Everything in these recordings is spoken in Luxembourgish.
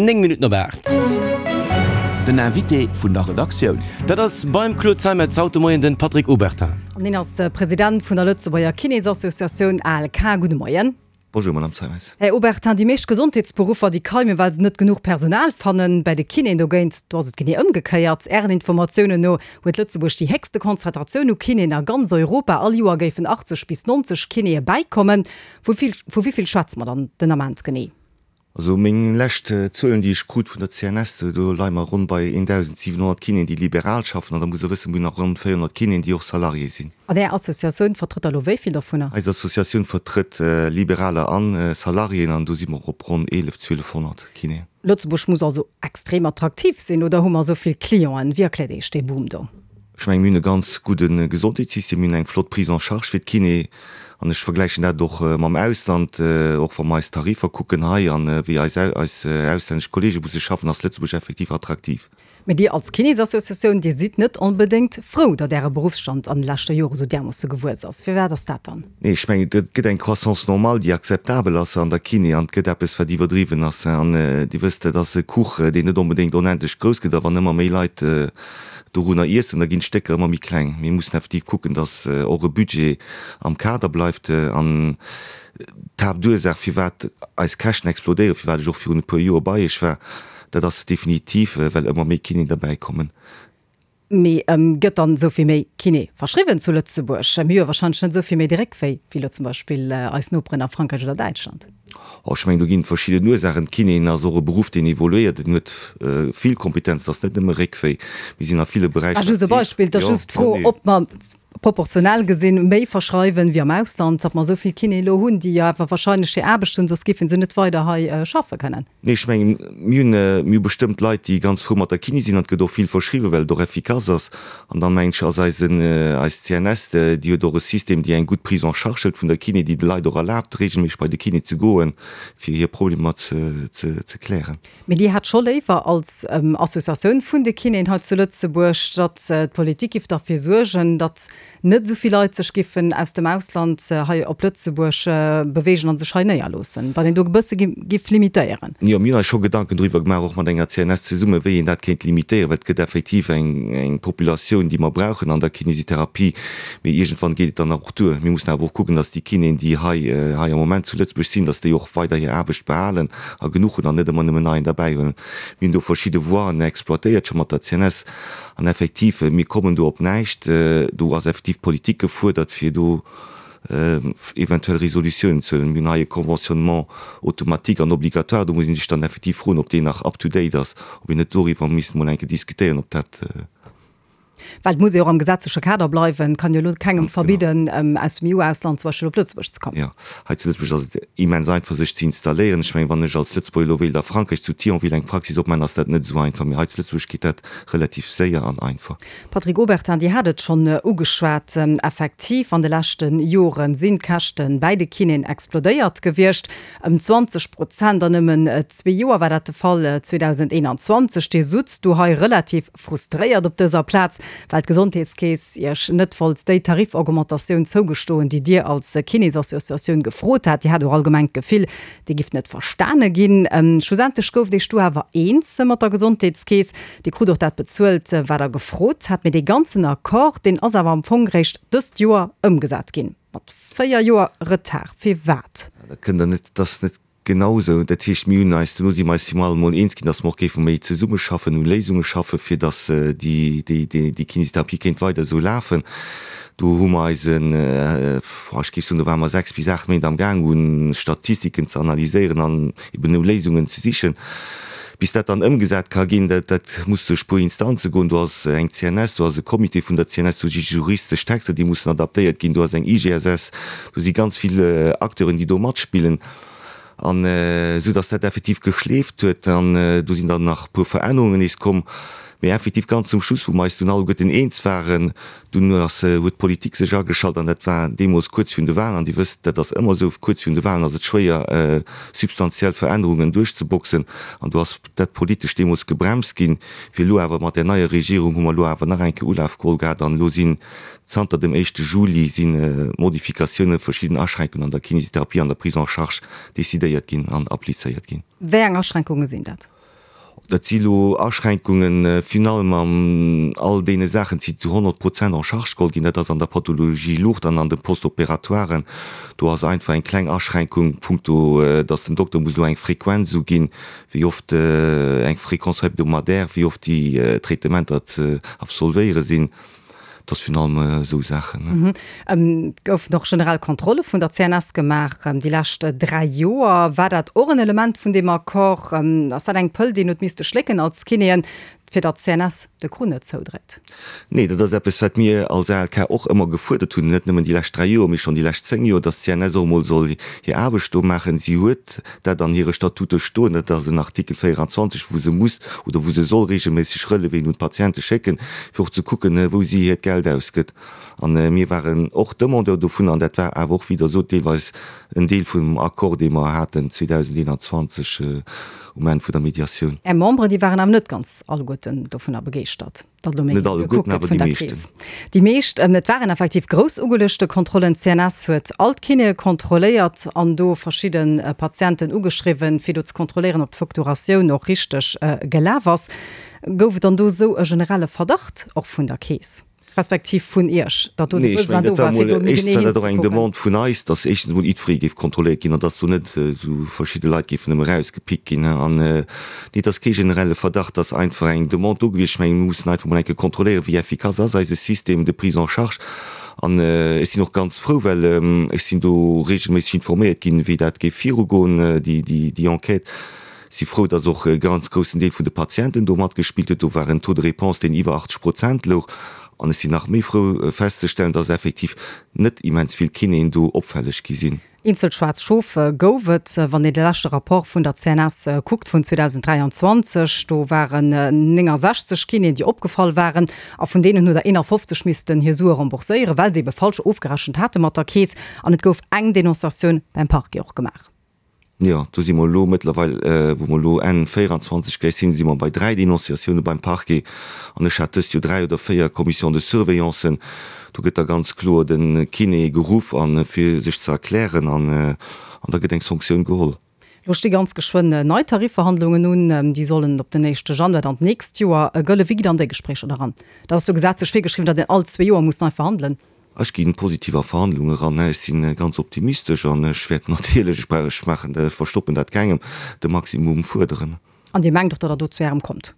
9 Minutten op 8. Den Invité vun der Redaktioun. Dat ass beim Claude Zeimetz haut de Moien den Patrick Obertin. An hien ass President vun der Lëtzebuerger Kinésassociatioun ALK. Gudde Moien. Bonjour Madame Zeimetz. Här Obertin, déi meescht Gesondheetsberuffer, déi keimen, well se net genuch Personal fannen. Bäi de Kinéen dogéint, do ass et genee ëmgekéiert. Ären Informatiounen no huet Lëtzebuerg déi héchste Konzentratioun u Kinéen a ganz Europa. All Joer géifen 80 bis 90 Kinéë bäikommen. Vu wéi vill schwätze mer dann den Ament genee? Also meng lescht Zuelen, déi ech krut vun der CNS, do leie mer ronn bei 1.700 Kinéen, déi liberal schaffen. An da muss Der wëssen, mir hunn nach ronn 400 Kinéen, déi och Salarié sinn. An Är Associatioun vertrëtt der elo wéi vill dovunner? Eis Associatioun vertrëtt Liberaler a Salariéen an do si mer op ronn 11, 1200 Kinéen. Lëtzebuerg muss also extrem attraktiv sinn, oder hu mer esou vill Clienten? Wéi erkläert Iech dee Boom do? Ech mengen, mir hunn e ganz gudde Gesondheetssystem, mir hunn eng flott Prise en charge fir d'Kiné. An ech vergläichen dat och mam Ausland, och wa mer eis Tarifer kucken hei an wéi eis eis auslännesch Kollege musse schaffen, ass Lëtzebuerg effektiv attraktiv. Mee Dir als Kinésassociatioun, Dir sidd net onbedéngt frou, datt Äre Beruffsstand an de leschte Jore sou därmoosse gewuess ass. Firwat ass dat dann? Nee, ech mengen, et gëtt eng Croissance normale, déi akzeptabel ass an der Kiné, an et gëtt eppes, wat iwwerdriwwen ass. An Dir wësst, dat ass e Kuch, deen net onbedéngt onendlech grouss gëtt. A wann ëmmer méi Leit dorunner iessen, da ginn d'Stécker ëmmer méi kleng. Mir mussen effektiv kucken, dass och e Budget am Kader bleift. An d'Haaptursaach, firwat eis Käschten explodéieren, firwat ech och virun e puer Joer bei Iech war, dat ass definitiv, well ëmmer méi Kinéen derbäikommen. Mee gëtt dann esou vill méi Kiné verschriwwen zu Lëtzebuerg? Mir hu jo warscheinlech net esou vill méi de Réckwéi wéi elo zum Beispill eis Noperen a Frankräich oder Däitschland. Oh, ech mengen, do ginn et verschidden Ursaachen. D'Kinéen ass och e Beruff, deen evoluéiert. En huet vill Kompetenzen, et ass net nëmme Réckwéi. Mir sinn a ville Beräicher War just e aktiv. Beispill. Et ass Jo, just d'Fro, nee. ob mer proportionell gesinn méi verschreiwen wéi am Ausland, datt mer esou vill Kinéen elo hunn, déi jo awer wahrscheinlech hir Aarbecht hunn, soss géife se net weider hei schaffe kënnen. Nee, ech mengen, mir hunn, mir hu bestëmmt Leit, déi ganz frou mat der Kiné sinn an et gëtt och vill verschriwwen, well et och effikass ass. An dann, mengen ech, ass eisen, eis CNS, déi huet och e System, déi eng gutt Prise en charge hëlt vun der Kiné, déi de Leit och erlaabt, regelméisseg bei de Kiné ze goen, fir hir Problemer ze, ze, ze klären. Mee Dir hätt scho léiwer als Associatioun vun de Kinéen hei zu Lëtzebuerg, datt d'Politik giff derfir suergen, datt net esou vill Leit sech giffen aus dem Ausland hei op Lëtzebuerg beweegen a sech hei néierloossen, datt een do e bësse giff limitéieren. Jo, mir hunn eis scho Gedanken doriwwer gemaach, och mat enger CNS zesummen, wéi een dat kéint limitéieren, well et gëtt effektiv eng eng Populatioun, déi mer brauchen an der Kinesitherapie, mee iergendwann geet et dann och duer. Mir mussen awer och kucken, datt déi Kinéen, déi hei hei am Moment zu Lëtzebuerg sinn, datt déi och weider hir Aarbecht behalen a genuch hunn an net ëmmer nëmmen neien derbäihuelen. Mir hunn do verschidde Voien exploitéiert scho mat der CNS. An effektiv, mir kommen do op näischt. Do ass effektiv d'Politik gefuerdert, fir do eventuell Resolutiounen ze huelen. Mir hunn hei e Conventionnement automatique an obligatoire. Do muss ee sech dann effektiv froen, ob deen nach up to date ass, ob een net doriwwer misst emol eng Kéier diskutéieren, ob dat. Well et muss ee och am gesetzleche Kader bleiwen. Et kann jo elo kengem verbidden, aus dem EU-Ausland zum Beispill op Lëtzebuerg ze kommen. Jo, hei zu Lëtzebuerg ass et immens einfach, sech ze installéieren. Ech mengen, wann ech als Lëtzebuerger elo wéilt a Frankräich zu Thionville eng Praxis opmaachen, ass dat net esou einfach. Mee hei zu Lëtzebuerg geet dat relativ séier an einfach. Patrick Obertin, Dir hat et schonn ugeschwat, Effektiv, an de leschte Jore sinn d'Käschte bäi de Kinéen explodéiert gewiescht. Ëm 20 Prozent an nëmmen zwee Joer war dat de Fall 2021. Dir sutzt do hei relativ frustréiert op dëser Plaz, well d'Gesondheetskeess Iech net wollt déi Tarifaugmentatioun zougestoen, déi Dir als Kinésassociatioun gefrot hat. Dir hat och allgemeng d'Gefill, Dir gifft net verstane ginn. Schlussendlech gouft Iech du awer eens mat der Gesondheetskeess. Dir krut och dat bezuelt, wat Der gefrot hat. Mee dee ganzen Accord, deen ass awer am Fong réischt dëst Joer ëmgesat ginn. Mat 4 Joer Retard. Firwat? Dat kënnt Der net, dat ass net genau esou. Dat heescht, mir hunn eis, duerno si mer eis final emol eens ginn, datt mer och géife méi zesummeschaffen, u Léisunge schaffen, fir datt déi, déi, déi Kinésitherapie kéint weider esou lafen. Do hu mer eis en, ech géif soen, do ware mer 6 bis 8 Méint am Gaang, u Statistiken ze analyséieren an eben no Léisungen ze sichen. Bis dat dann ëmgesat ka ginn, dat, dat muss duerch puer Instanze goen. Do ass eng CNS, do ass e Comité vun der CNS, do si juristesch Texter, déi mussen adaptéiert ginn, do ass eng IGSS, do si ganz vill Acteuren, déi do matspillen. An esou datt dat effektiv geschleeft huet. An do sinn dann nach e puer Verännerungen nees komm. Mee effektiv ganz zum Schluss, wou mer eis dunn alleguerten eens waren, dunn ass, huet d'Politik sech ageschalt an dat war deemools kuerz virun de Wahlen. An Dir wësst, dat ass ëmmer esou, kuerz virun de Wahlen ass et schwéier, substantiell Verännerungen duerchzeboxen. An do ass dat politesch deemools gebremst ginn. Fir elo awer mat där neier Regierung hu mer elo awer nach eng Kéier Ulaf geholl gehat an elo sinn Zanter dem éischte Juli si Modifikatiounen, verschidden Aschränkungen an der Kinesitherapie an der Prise en charge decidéiert ginn an applizéiert ginn. Wéi eng Aschränkunge sinn dat? Dat si lo Aschränkungen, virun allem an all deene Saachen, déi zu 100 Prozent en charge geholl ginn. Dat ass an der Pathologie lourde an an de Post-opératoiren. Do ass einfach eng kleng Aschränkung punkto, dass den Dokter muss elo eng Frequenz uginn, wéi oft, eng Fréquence hebdomadaire, wéi oft déi Traitementer ze absolvéiere sinn. Dat ass virun allem esou Saachen. Et goufen och generell Kontrolle vun der CNS gemaach déi lescht 3 Joer. War dat och en Element vun deem Accord? Ass dat eng Pëll, déi een huet misste schlécken als Kinéen, fir datt d'CNS de Krunn net zoudréit? Nee, dat ass eppes, wat mir als ALK och ëmmer gefuerdert hunn, net nëmmen déi lescht 3 Joer, mee schonn déi lescht 10 Joer, datt d'CNS och emol soll hir Aarbecht do maachen. Si huet dat an hire Statute stoen, dat ass en Artikel 24, wou se muss oder wou se soll regelméisseg Relevéen un d'Patiente schécken, fir och ze kucken, wou si hiert Geld ausgëtt. A mir waren och Demandeur dovun, an dat war awer och, wéi Der sot, deelweis en Deel vum Accord, dee mer haten 2021 um Enn vun der Mediatioun. Är Memberen, déi waren awer net ganz alleguerten dovunner begeeschtert, datt elo méi Net gekuckt alleguerten, gëtt awer vun déi der meeschten. Keess. Déi meescht. Et waren effektiv grouss ugeluechte Kontrollen. D'CNS huet all d'Kinéë kontrolléiert an do verschidde Patienten ugeschriwwen, fir do ze kontrolléieren, ob d'Facturatioun och richteg gelaf ass. Gouf et dann do esou e generelle Verdacht och vun der Keess? Respektiv vun Iech, datt do de Nee, ech Besoin mengen, do dat war war, fir emol, do méi éischtens genee war dat och eng hinzekucken? Demande vun eis, datt éischtens emol jiddweree géif kontrolléiert ginn an datt do net esou verschidde Leit géifen nëmme erausgepickt ginn. An nee, et ass kee generelle Verdacht, et ass einfach eng Demande do gewiescht. Ech mengen, mir mussen einfach emol eng Kéier kontrolléieren, wéi effikass ass eise Système de prise en charge. An ech sinn och ganz frou, well ech sinn do regelméisseg informéiert ginn, wéi dat géif virugoen, déi, déi, déi Enquête. Si frou, dass och e ganz groussen Deel vun de Patienten do matgespillt huet. Do war en Taux de réponse, deen iwwer 80 Prozent louch. An ech sinn nach méi frou festzestellen, dass effektiv net immens vill Kinéen do opfälleg gi sinn. Eenzel schwaarz Schof gouf et, wann een de leschte Rapport vun der CNS kuckt vun 2023. Do waren 69 Kinéen, déi opgefall waren. A vun deenen huet der 51 missten hir Sue rembourséieren, well se ebe falsch ofgerechent hate mat der Keess. An et gouf eng Denonciatioun beim Parquet och gemaach. Jo, do si mer elo mëttlerweil, wou mer elo Enn 24 gläich sinn, si mer bei 3 Denonciatioune beim Parquet. An ech hat dëst Joer 3 oder 4 Commissions de surveillancen. Do gëtt da ganz kloer de Kiné geruff a fir sech ze erklären an an da gëtt eng Sanktioun geholl. Elo sti ganz geschwënn nei Tarifverhandlungen un. Déi sollen op den éischte Januar dann d'nächst Joer gëllen. Wéi gitt Der an déi Gespréicher da ran? Dat ass jo gesetzlech virgeschriwwen, datt een all zwee Joer muss nei verhandelen. Ech ginn positiv a Verhandlunge eran. Ech si ganz optimistesch an ech wäert natierlech, ech brauch, ech maachen, ech verstoppen dat kengem, de Maximum fuerderen. An Dir mengt och, datt Der do zu Ärem kommt?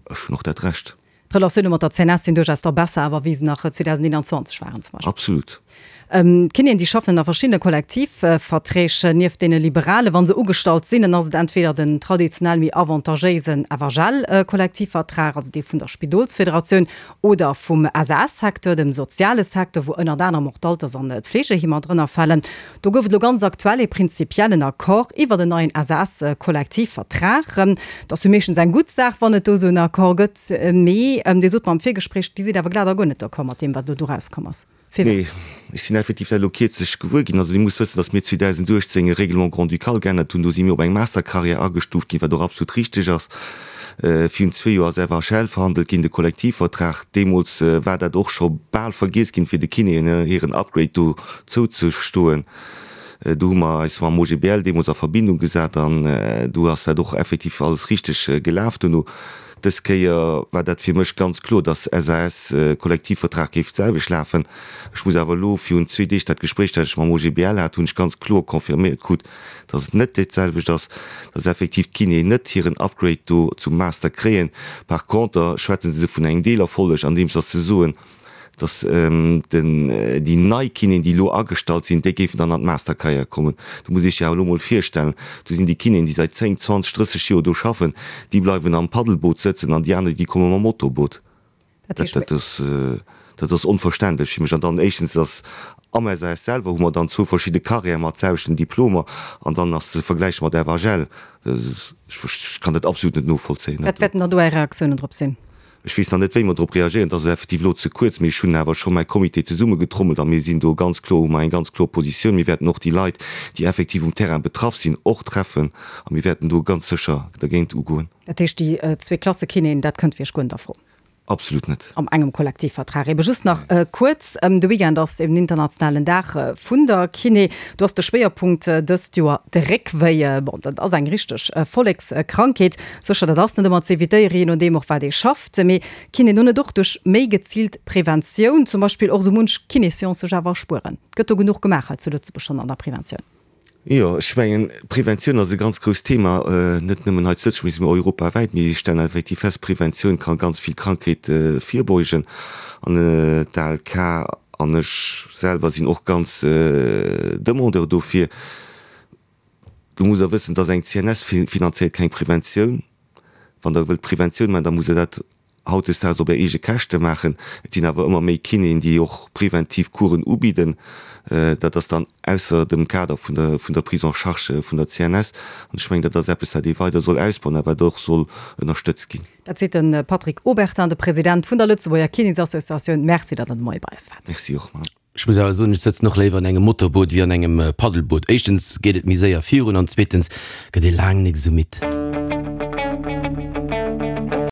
Ech hunn och dat Recht. D'Relatioune mat der CNS sinn duerchaus da besser awer, wéi se nach 2021 waren zum Beispill. Absolut. D'Kinéen, déi schaffen ënner verschiddene Kollektivverträg. Nieft deene liberale, wa se ugestallt sinn, dann ass et entweder den traditionell méi avantagéisen FHL-Kollektivvertrag, also dee vun der Spidolsfederatioun, oder vum SAS-Secteur, dem soziale Secteur, wou ënnert anerem och d'Alters an d'Fleegeheemer drënner falen. Do gouf et elo ganz aktuell ee prinzipiellen Accord iwwert en neien SAS-Kollektivvertrag. Dat ass jo meeschtens eng gutt Saach, wann et do esou en Accord gëtt. Mee Dir sot mer am Virgespréich, Dir sidd awer glat a guer net d'accord mat deem, wat elo do erauskomm ass. Firwat? Nee, ech sinn effektiv dat elo kierzlech gewuer ginn. Also Dir musst wëssen, datt mir 2018 e Règlement grand-ducal geännert hunn. Do si mir op eng Mastercarrière agestuuft ginn, wat och absolut richteg ass. Virun zwee Joer ass FHL verhandelt ginn, de Kollektivvertrag. Deemools war dat och scho bal vergiess ginn, fir de Kinéen hiren Upgrade do zouzestoen. Do hu mer eis mam OGBL deemools a Verbindung gesat an do ass dat och effektiv alles richteg gelaf duerno. Dës Kéier war dat fir mech ganz kloer, dass SAS-Kollektivvertrag géif d'selwecht lafen. Ech muss awer elo, virun zwee Deeg dat Gespréich, dat ech mam OGBL hat, hunn ech ganz kloer confirméiert krut, dass et net dat selwecht ass, dass effektiv d'Kinéen net hiren Upgrade do zum Master kréien. Par conter schwätze se vun engem Deelerfolleg, andeems dass se soen, dass den, déi nei Kinéen, déi elo agestallt sinn, déi géifen dann an d'Mastercarrière kommen. Do muss ee sech awer elo mol virstellen, do sinn déi Kinéen, déi säit 10, 20, 30 Joer do schaffen, déi bleiwen am Paddelboot sëtzen an déi aner, déi komme mam Motorboot. Dat heescht, Dat ass, dat ass onverständlech fir mech. An dann éischtens ass am SAS selwer hu mer dann zwou verschidde Carrièrë mat selwechten Diplomer an dann ass ze vergläiche mat FHL. Ech kann dat absolut net novollzéien. Wat wäerten dann do Är Reaktiounen drop sinn? Ech weess nach net, wéi mer drop reagéieren. Et ass effektiv elo ze kuerz, mee ech hunn awer scho mäi Comité zesummegetrommelt a mir sinn do ganz kloer, hu mer eng ganz kloer Positioun. Mir wäerten och déi Leit, déi effektiv um Terrain betraff sinn, och treffen a mir wäerten do ganz sécher dergéint ugoen. Dat heescht, déi zwee Klasse Kinéen, dat kënnt fir Iech guer net a Fro? Absolut net. Am engem Kollektivvertrag. Ebe just nach kuerz, de Weekend ass eben internationalen Dag vun der Kiné. Do ass de Schwéierpunkt dëst Joer de Réckwéi. Bon, dat ass eng richteg Vollekskrankheet. Sécher, dat ass net ëmmer ze evitéieren, jee nodeem och wat ee schafft. Mee kinnt een do net och duerch méi geziilt Preventioun zum Beispill och esou munch Kinéséance sech awer erspueren? Gëtt do genuch gemaach hei zu Lëtzebuerg schonn an der Preventioun? Jo, ech mengen, Preventioun ass e ganz grousst Thema, net nëmmen hei zu Lëtzebuerg, mee europawäit. Mir stellen effektiv fest, Preventioun ka ganz vill Krankheete virbeugen. An d'ALK an ech selwer sinn och ganz Demandeur dofir. Do musst Der wëssen, dass eng CNS finanzéiert keng Preventioun. Wann Der wëllt Preventioun maachen, da musst Der dat hautdesdaags op är eege Käschte maachen. Et sinn awer ëmmer méi Kinéen, déi och preventiv Coursen ubidden. Dat ass dann ausser dem Kader vun der, vun der Prise en charge vun der CNS. An ech mengen, dat ass eppes, wat ee weider soll ausbauen a wat och soll ënnerstëtzt ginn. Dat seet de Patrick Obertin, de President vun der Lëtzebuerger Kinésassociatioun. Merci, datt Der de Moie bei eis waart. Merci och, Madame. Ech muss awer soen, ech sëtzen och léiwer an engem Motorboot wéi an engem Paddelboot. Éischtens geet et méi séier virun an zweetens gëtt ee laang nik esou midd.